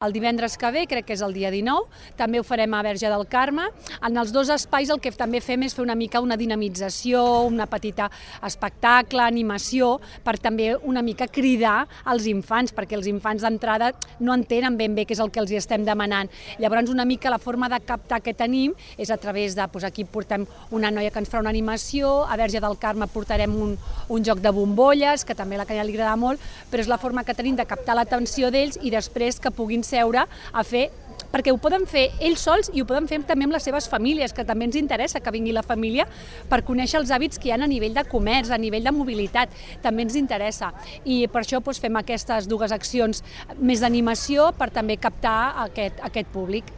El divendres que ve, crec que és el dia 19, també ho farem a Verge del Carme. En els dos espais el que també fem és fer una mica una dinamització, una petita espectacle, animació, per també una mica cridar als infants, perquè els infants d'entrada no entenen ben bé què és el que els hi estem demanant. Llavors una mica la forma de captar que tenim és a través de, aquí portem una noia que ens farà una animació, a Verge del Carme portarem un joc de bombolles, que també a la Canya li agrada molt, però és la forma que tenim de captar l'atenció d'ells i després que puguin seure a fer, perquè ho poden fer ells sols i ho poden fer també amb les seves famílies, que també ens interessa que vingui la família per conèixer els hàbits que hi ha a nivell de comerç, a nivell de mobilitat, també ens interessa. I per això fem aquestes dues accions més d'animació per també captar aquest públic.